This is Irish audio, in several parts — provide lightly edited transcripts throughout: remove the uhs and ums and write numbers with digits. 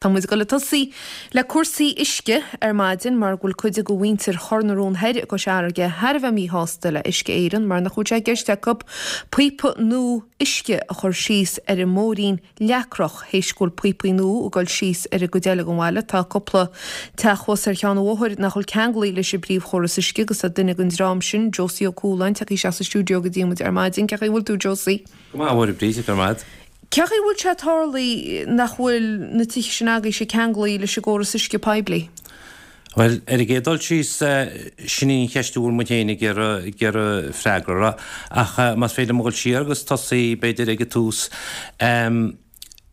Tá muid ag dul ag tosaí le cúrsaí uisce ar maidin mar go bhfuil cuid de mhuintir Chor na Rón Thoir i gCois Fharraige thar a bheith míshásta le Uisce Éireann mar nach bhfuil sé i gceist acu píopa nua uisce a chur síos ar an mBóithrín Leacrach théis go bhfuil píopaí nua ag dul síos ar an gcuid eile den bhaile. Tá cúpla teach thuas ar cheann an bhóthair nach bhfuil ceanglaithe leis an bpríomhchóras uisce agus tá duine den dream sin, Josie Ó Cualáin, tagtha isteach sa stiúideo go dtí muid ar maidin. Cén chaoi a bhfuil tú, Josie? Go maith, a Mháire Bríd, go raibh maith agat. Cén chaoi a bhfuil sé tarlaithe nach bhfuil na tithe sin agaibhse ceanglaithe leis an gcóras uisce poiblí? Bhuel, ar an gcéad dul síos, sin í an cheist a bhfuil muid féin ag iarraidh, ag iarraidh freagra uirthi. Ach más féidir liom a dhul siar agus tosaí, b'fhéidir, ag an tús.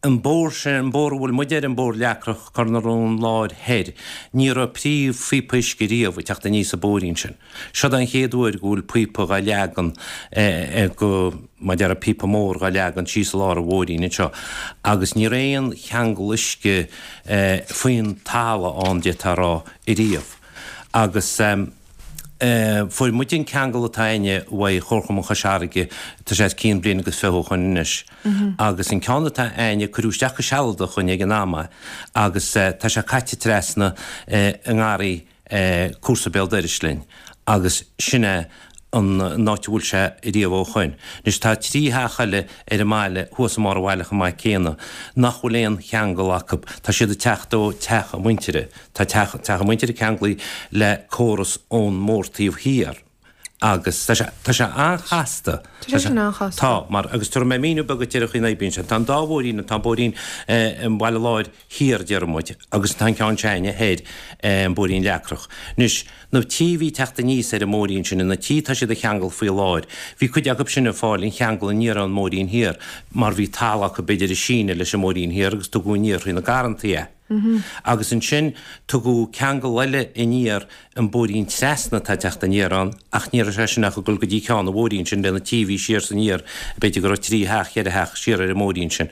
An bóthar sin, an bóthar a bhfuil muid air, an Bóthar Leacrach, Cor na Rón Láir Thoir, ní raibh príomhphíopa uisce riamh ag teacht aníos an bóithrín sin. Seod é an chéad uair go bhfuil píopa dhá leagan go, mar a déarfá, píopa mór dhá leagan síos i lár an bhóithrín anseo agus ní raibh aon cheangal uisce faoin talamh ann, d'fhéadfá a rá, ariamh. Agus fuair muid an ceangal atá a'inne uaidh Chomharchumann Chois Fharraige, tá sé os cionn bliain agus 20 ó shoin anois, agus an ceann atá a'inne, cuireadh isteach go sealadach dhúinn ag an am é agus tá sé caite trasna i ngarraí cúrsa béal dorais linn agus sin é an áit a bhfuil sé riamh ó shoin. Anois tá trí theach eile ar an mbaile thuas i mbarr an bhaile chomh maith céanna nach bhfuil aon cheangal acu. Tá siad ag teacht ó teach a muintire. Tá teach teach a muintire ceanglaithe le córas ón mbóthar taobh thiar agus tá sé tá sé an-chasta. Tá sé sin an-chasta. Tá, mar agus tabharfaidh mé míniú beag duit ar an chaoi a n-oibríonn sé. Tá an dá bhóithrín, tá an bóithrín an Bhaile Láir Thiar, a deir muid, agus tá an ceann s'a'inne thoir, an Bóithrín Leacrach. Anois, na tithe a bhí ag teacht aníos ar an mbóithrín sin, na tithe atá siad a cheangal faoi láthair, bhí cuid acu sin ag fáil an cheangal aniar ón mbóithrín thiar, mar bhí talamh acu b'fhéidir ag síneadh leis an mbóithrín thiar agus tugadh aniar thrí na garrantaí é. Agus ansin tugadh ceangal eile aniar an bóithrín trasna atá ag teacht aniar ann ach ní raibh sé sin ach ag dul go dtí ceann an bhóithrín sin le na tithe a bhí siar 's aniar, b'fhéidir go raibh trí theach, cheithre theach siar ar an mbóithrín sin.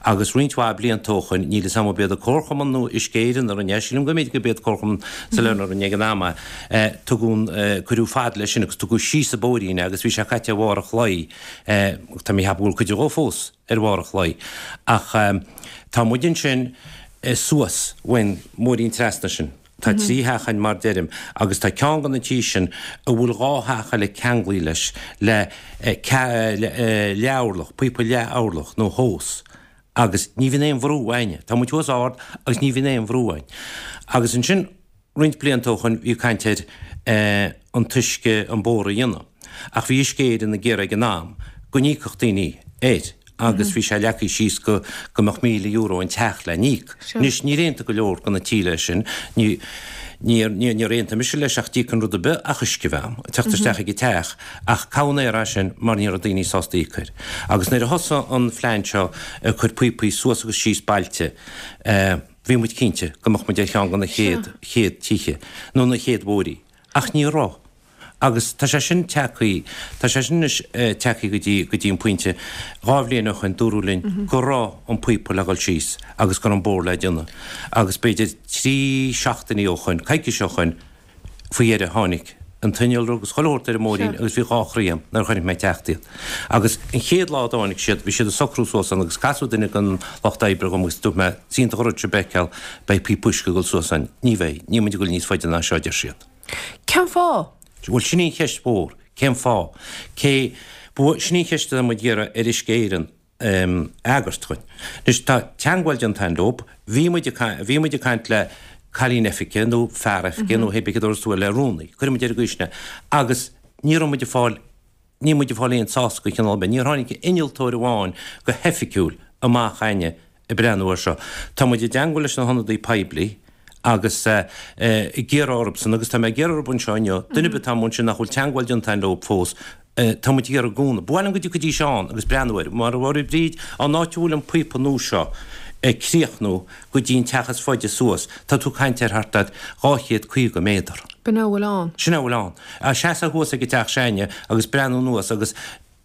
Agus roinnt mhaith blianta ó shoin, níl 'fhios a'm ab iad an Comharchumann nó Uisce Éireann a rinne é, sílim go mb'fhéidir go b'iad Comharchumann Sailearna a rinne ag an am é, tugadh, cuireadh fad leis sin agus tugadh síos an bóithrín é agus bhí sé caite ar bharr an chlaí, tá mé ag ceapadh go bhfuil cuid dhó fós ar bharr an chlaí. Ach tá muid ansin suas uainn, mbóithrín trasna sin. Tá trí theach ann mar deirim agus tá ceann de na tithe sin a bhfuil dhá theach eile ceanglaithe leis le leath-orlach, píopa leath-orlach nó hose agus ní bhíonn aon bhrú a'inne. Tá muid thuas ard agus ní bhíonn aon bhrú a'inn. Agus ansin roinnt blianta ó shoin bhí caint ar an t-uisce an bóthar a dhéanamh ach bhí Uisce Éireann ag iarraidh ag an am go n-íocfadh daoine air. agus bhí sé leagtha síos go go mbeadh €1,000 an teach le n-íoc. Anois, níor aontaigh go leor de na tithe leis sin, ní, níor, níor, níor aontaigh mise leis ach d'íocfainn rud ar bith ach uisce a bheith a'm, ag teacht isteach ag an teach, ach cabhair air é sin mar ní raibh daoine sásta íoc air. Agus nuair a thosaigh an phlean seo ag cur píopaí suas agus síos bailte, eh, bhí muid cinnte go mbeadh muid ar cheann de na chéad, chéad tithe, nó na chéad bhóithrí. Ach ní raibh. Agus tá sé sin tagtha, tá sé sin anois tagtha go dtí, go dtí an pointe, dhá bhliain ó shoin dúradh linn go raibh an píopa le dhul síos agus go raibh an bóthar le déanamh. Agus b'fhéidir trí seachtainí ó shoin, coicís ó shoin, faoi dheireadh tháinig an t-innealra agus chuile shórt ar an mbóithrín agus bhí dhá chroí a'm nuair a chonaic mé ag teacht iad. Agus an chéad lá a dtáinig siad, bhí siad ag socrú suas ann agus casadh duine den lucht oibre dhom agus dúirt mé, is iontach an rud seo a fheiceáil, beidh píopa uisce ag dul suas ann. Ní bheidh, níl muid ag dul níos faide ná seo, a deir siad. Cén fáth? Bhuel, sin í an cheist mhór. Cén fáth? Cé, bhuel, sin í an cheist atá muid ag iarraidh ar Uisce Éireann a fhreagairt dhuinn. Anois, tá teangmháil déanta againn leob, bhí muid ag, bhí muid ag caint le cailín oifige nó fear oifige nó hé bith cad a dúirt tú le rúnaí, cuirfidh muid ar an gcaoi sin é, agus ní raibh muid ag fáil, Níl muid ag fáil aon sásamh de chineál ar bith. Níor tháinig innealtóir amháin go hoifigiúil amach a'inne ag breathnú air seo. Tá muid i dteangmháil leis na hionadaí poiblí agus ag iarraidh orthusan, agus tá mé ag iarraidh orthu anseo inniu, duine ar bith atá amuigh ansin nach bhfuil teangmháil déanta a'inn leo fós, tá muid ag iarraidh cúnamh. Ba mhaith liom go dtiocfaidís ann agus breathnú air. Mar a dúirt Bríd, an áit a bhfuil an píopa nua seo ag críochnú go dtí an teach is faide suas, tá tú ag caint ar thart ar 250 méadar. B'in é a bhfuil ann. Sin é a bhfuil ann. Seasamh thuas ag an teach s'a'inne agus breathnú anuas agus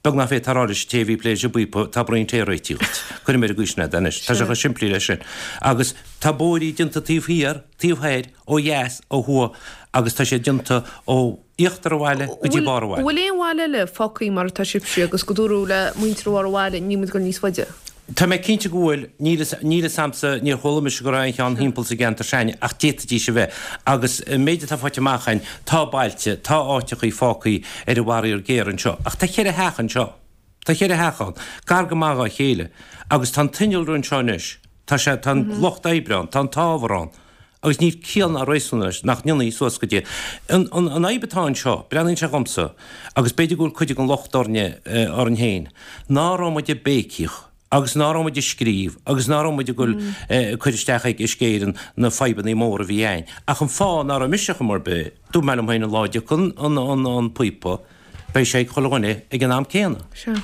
beag nach bhféadfá a rá leis an té a bhí ag plé leis an bpíopa, tá braon tae réitithe dhuit. Cuirfidh mé ar an gcaoi sin é anois. Tá sé chomh simplí leis sin. Agus tá bóithrí déanta taobh thiar, taobh thoir, ó dheas, ó thuaidh agus tá siad déanta ó íochtar an bhaile go dtí barr an bhaile. Bhfuil aon bhaile eile fágtha mar atá sibhse agus go dúradh le muintir bharr an bhaile níl muid ag dul níos faide? Tá mé cinnte go bhfuil. Níl fhios, níl fhios a'msa, níor chuala mise go raibh aon cheann thimpeall sa gceantar s'a'inne ach d'fhéadfaidís a bheith. Agus an méid atá faighte amach a'inn, tá bailte, tá áiteachaí fágthaí ar an bhfaraor géar anseo. Ach tá cheithre theach anseo. Tá cheithre theach ann, gar go maith dhá chéile. Agus tá an t-innealra anseo anois. Tá sé, tá an lucht oibre ann, tá an t-ábhar ann. Agus níl ciall ná réasún leis nach ndéanfaí suas go dtí. An, an, an fhadhb atá anseo, breathnaíonn sé dhomsa, agus b'fhéidir go bhfuil cuid den locht orainne, orainn féin, ná raibh muid ag béicíoch agus ná raibh muid ag scríobh agus ná raibh muid ag goil ag cur isteach ag Uisce Éireann na fadhbannaí móra a bhí a'inn. Ach an fáth ná raibh mise chuma ar bith, dúirt mé liom féin an lá a dtiocfaidh an, an, an píopa, Beidh sé ag chuile dhuine ag an am céanna. Sea.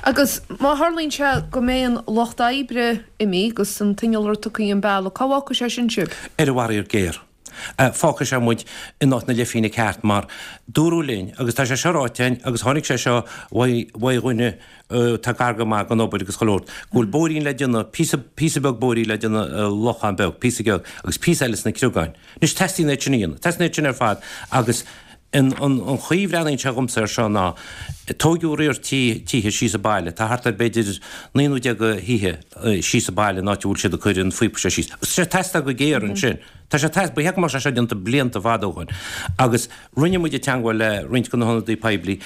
Agus má tharlaíonn sé go mbeidh an lucht oibre imithe agus an t-innealra tugtha an bealach, cá bhfágfaidh sé sin sibh? Ar an bhfaraor géar. Fágfaidh sé muid in áit na leithphingine ceart mar dúradh linn, agus tá sé seo ráite againn agus tháinig sé seo uaidh dhuine atá gar go maith don obair agus chuile shórt, go bhfuil bóithrín le déanamh, píosa, píosa beag bóithrín le déanamh i Lochán Beag, píosa beag, agus píosa eile sna Criogáin. Anois teastaíonn iad sin a dhéanamh, teastaíonn iad sin ar fad agus An chaoi a bhreathnaíonn sé dhomsa air seo ná, tóigeadh riar tithe síos an baile, tá thart ar b'fhéidir 19 nó de thithe síos an baile in áit a bhfuil siad ag cur an phíopa seo síos. Tá sé ag teastáil go géar ansin. Tá sé ag teastáil, ba cheart go mbeadh sé seo déanta blianta fada ó shoin. Agus rinne muid teagmháil le roinnt de na hionadaí poiblí.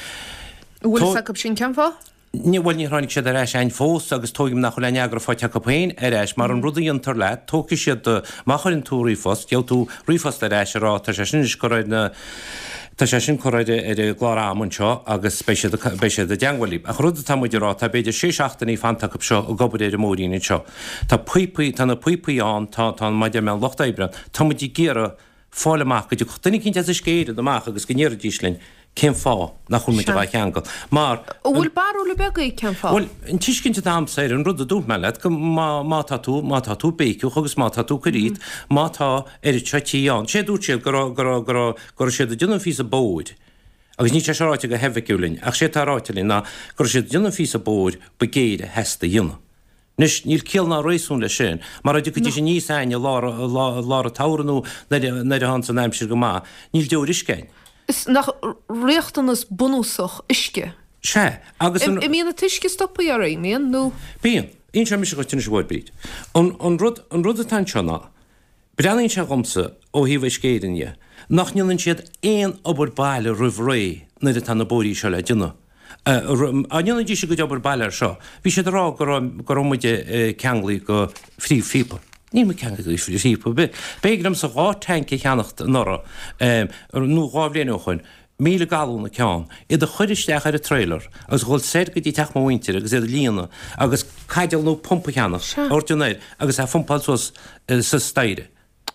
An bhfuil fhios acu sin cén fáth? Ní, bhuel, níor tháinig siad ar ais a'inn fós agus tóigim nach bhfuil aon fhreagra faighte acu féin ar ais mar an rud a dhéantar leat, tógfaidh siad do, má chuireann tú ríomhphost, gheobhaidh tú ríomhphost ar ais ag rá tá sé sin anois curtha ar na, tá sé sin curtha ar, ar an gclár ama anseo agus beidh siad, beidh siad i dteangmháil libh. Ach an rud atá muid ag rá, tá b'fhéidir sé seachtainí fanta acu seo ag obair ar an mbóithrín anseo. Tá píopaí, tá na píopaí ann, tá, tá, mar a deir mé, an lucht oibre ann. Tá muid ag iarraidh fáil amach go dtiocfadh duine eicínt as Uisce Éireann amach agus go ndéarfaidís linn cén fáth nach bhfuil muid dhá cheangal. Mar. An bhfuil barúil ar bith agaibh cén fáth? Bhuel, an tuiscint atá a'msa air, an rud a dúirt mé leat, go má, má tá tú, má tá tú béiceach agus má tá tú ag cur dhíot, má tá oiread seo tí ann. Sé a dúirt siad go raibh, go raibh, go raibh, go raibh siad ag déanamh an phíosa bóthair, agus níl sé seo ráite go hoifigiúil linn, ach sé atá ráite linn ná go raibh siad ag déanamh an phíosa bóthair ba géire a theastaigh a dhéanamh. Anois, níl ciall ná réasún leis sin, mar dá dtiocfaidís aníos a'inn i lár, lár an tsamhraidh nó nuair a thánns an aimsir go maith, níl deoir uisce a'inn. Is nach riachtanas bunúsach uisce? Sea, agus an. An mbíonn an t-uisce stoptha oraibh, an mbíonn, nó? Bíonn. Inseoidh mise dhuit anois a Mháire Bríd. An, an rud, an rud atá anseo ná, breathnaíonn sé dhomsa, ó thaobh Uisce Éireann dhe, nach ndéanann siad aon obair baile roimh ré nuair atá na bóithrí seo le déanamh. Dá ndéanfaidís a gcuid obair baile air seo, bhí siad ag rá go raibh, go raibh muid ceanglaithe go phríomhphíopa. Níl muid ceanglaithe go phríomhphíopa ar bith. B'éigean domsa 2 tanc a cheannacht anuraidh, nó 2 bhliain ó shoin, 1,000 galún an ceann, iad a chur isteach ar an trailer agus a dhul soir go dtí teach mo mhuintire agus iad a líonadh agus caidéal nó pumpa a cheannach, a thabhairt anoir agus é a phumpáil suas sa staighre.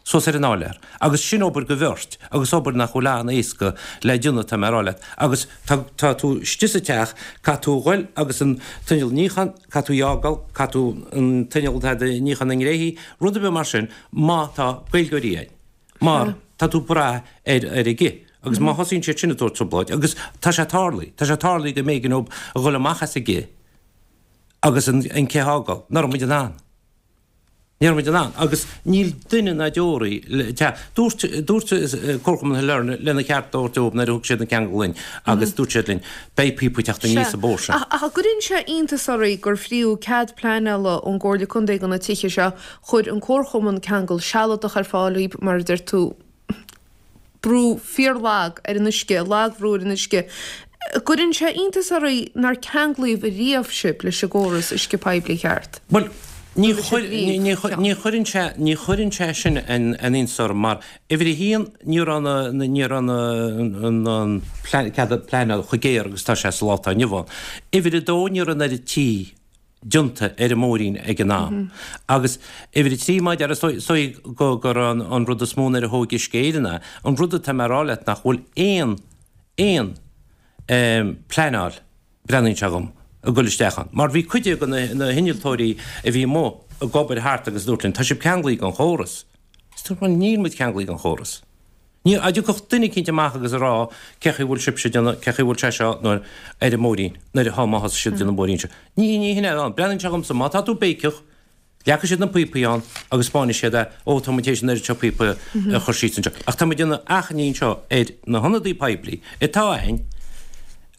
suas ar an áiléar. Agus sin obair go bheirt, agus obair nach bhfuil an-éasca le déanamh, tá mé a rá leat. Agus tá, tá tú istigh sa teach, caithfidh tú a ghoil agus an t-inneall níocháin, caithfidh tú í a fhágáil, caithfidh tú an t-inneall atá do níochán na ngréithí, rud ar bith mar sin, má tá Gaeilgeoirí ann. Mar tá tú ag brath ar, ar an gcith. Agus má thosaíonn siad sin ag tabhairt trioblóid, agus tá sé tarlaithe, tá sé tarlaithe go mb'éigean dóibh a ghoil amach as an gcith agus an, an cith a fhágáil, nach raibh muid in ann. Ní raibh muid in ann, agus níl duine ná deoraí le teacht. Dúirt, dúirt Comharchumann Shailearna lena cheart a thabhairt dóibh nuair a thug siad an ceangal linn agus dúirt siad linn, beidh píopa ag teacht aníos an bóthar sin. Ach, ach an gcuireann sé iontas oraibh gur frítheadh cead pleanála ón gComhairle Contae do na tithe seo, chuir an Comharchumann ceangal sealadach ar fáil dhaoib, mar a deir tú, brú fíorlag ar an uisce, lagbhrú ar an uisce. Gcuireann sé iontas oraibh nár ceanglaíodh riamh sibh leis an gcóras uisce poiblí ceart? Bhuel, ní ní chuireann sé, ní chuireann sé sin an iontas orm mar, uimhir a haon, ní raibh na, ní raibh na, an cead pleanála chomh géar agus atá sé sa lá atá inniu ann. Uimhir a dó, ní raibh an oiread tí déanta ar an mbóithrín ag an am. Agus uimhir a 3, má deir, is dóigh go gur an rud is mó nuair a thóg Uisce Éireann é, an rud atá mé a rá leat nach bhfuil aon, aon pleanáil, breathnaíonn sé dhom, ag dul isteach ann. Mar bhí cuid de na hinnealtóirí a bhí amuigh ag obair thart agus dúirt linn, tá sibh ceanglaithe don chóras. Is dúirt muid, níl muid ceanglaithe don chóras. Ní, dá dtiocfadh duine eicínt amach agus a rá cé chaoi bhfuil sibhse ag déanamh, cé chaoi bhfuil sé seo nó ar an mbóithrín, nuair atá, má thosaigh siad ag déanamh an bhóithrín seo. Ní, ní hin é ann. Breathnaíonn sé dhomsa, má tá tú béiceach, leagfaidh siad na píopaí ann agus spáinfidh siad é, ó tá muid théis an oiread seo píopa a chur síos anseo. Ach tá muid ag déanamh achainí anseo ar na hionadaí poiblí atá againn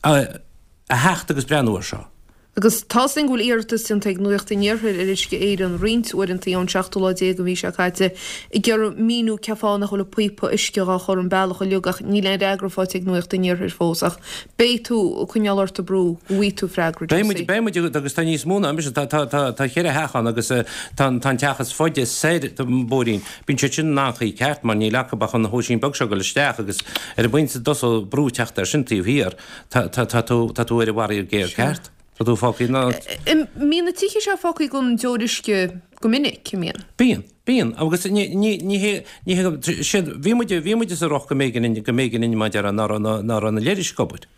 a, a theacht agus breathnú air seo. Agus tá's againn go bhfuil iarratas déanta ag Nuacht an Iarthair ar Uisce Éireann roinnt uaireanta ón seachtú lá déag den mhí seo caite ag iarraidh míniú cén fáth nach bhfuil an píopa uisce dhá chur an bealach uilig ach níl aon fhreagra faighte ag Nuacht an Iarthair fós ach beidh tú ag coinneáil ort ag brú go bhfaighidh tú freagra Beidh muid, beidh muid agus tá níos mó ná mise, tá, tá, tá, tá cheithre theach ann agus tá an, tá an teach is faide soir den bhóithrín, bíonn siad sin in anchaoi ceart mar níl acu ach an hóisín beag seo ag dul isteach agus ar an bpointe a dtosóidh brú teacht air sin taobh thiar. Tá, tá, tá tú, tá tú ar an bhfaraor géar ceart. Tá tú fágtha ina. An mbíonn na tithe seo fágtha gan deoir uisce go minic, an mbíonn? Bíonn, bíonn. Agus ní, ní, ní hé, ní hé, siad, bhí muid, bhí muid sa riocht go mb'éigean, go mb'éigean mar a déarfá ná raibh, ná raibh na leithris ag obair.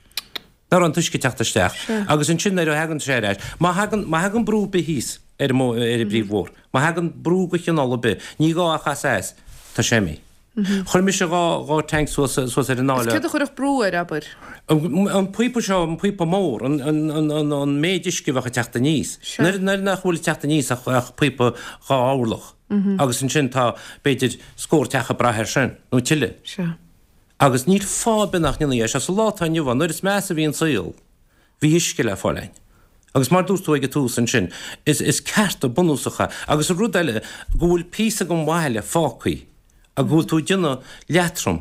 Ná raibh an t-uisce ag teacht isteach. Agus ansin nuair a thagann sé ar ais, má thagann, má thagann brú ar bith thíos ar an, ar an bpríomhbhóthar, má thagann brú de chineál ar bith, ní gá ach as as, tá sé imithe. Chuir mise 2 tank suas suas ar an áille. Is céard a chuirfeadh brú air, abair? An píopa seo, an píopa mór, an an méid uisce a bheadh ag teacht aníos. Nuair nuair nach bhfuil ag teacht aníos ach ach píopa 2 orlach. Agus ansin tá, b'fhéidir, scór teach ag brath air sin, nó tuilleadh. Sea. Agus níl fáth ar bith nach ndéanfaí é seo. Sa lá atá inniu ann, nuair is measa a bhí an saol, bhí uisce le fáil againn. Agus mar dúirt tú ag an tús ansin, is is cearta bunúsacha. Agus an rud eile, go bhfuil píosa den bhaile fágtha agus go bhfuil tú ag déanamh leatrom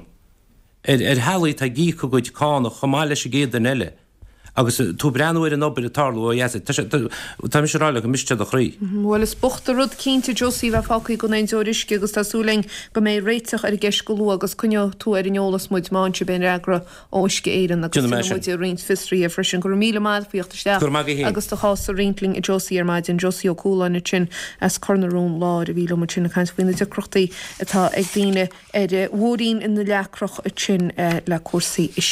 ar ar theaghlaigh atá ag íoc a gcuid cánach chomh maith leis an gcéad duine eile agus tú ag breathnú ar an obair ag tarlú ó dheas, tá sé, tá mise ag rá leat go mbriste do chroí. Bhuel, is bocht an rud cinnte, Josie, a bheith fágtha gan aon deoir uisce agus tá súil againn go mbeidh réiteach ar an gceist go luath agus coinneoidh tú ar an eolas muid má fhaigheann sibh aon fhreagra ó Uisce Éireann agus Déanfaidh mé déanfaidh sin. muid roinnt fiosruithe freisin. Go raibh míle maith agat faoi theacht isteach Go raibh maith agat féin. agus do chás a roinnt linn a Josie ar maidin. Josie Ó Cualáin ansin as Cor na Rón Láir a bhí liom ansin ag caint faoi na deacrachtaí atá ag daoine ar Mhúirín na Leacrach ansin le cúrsaí uisce.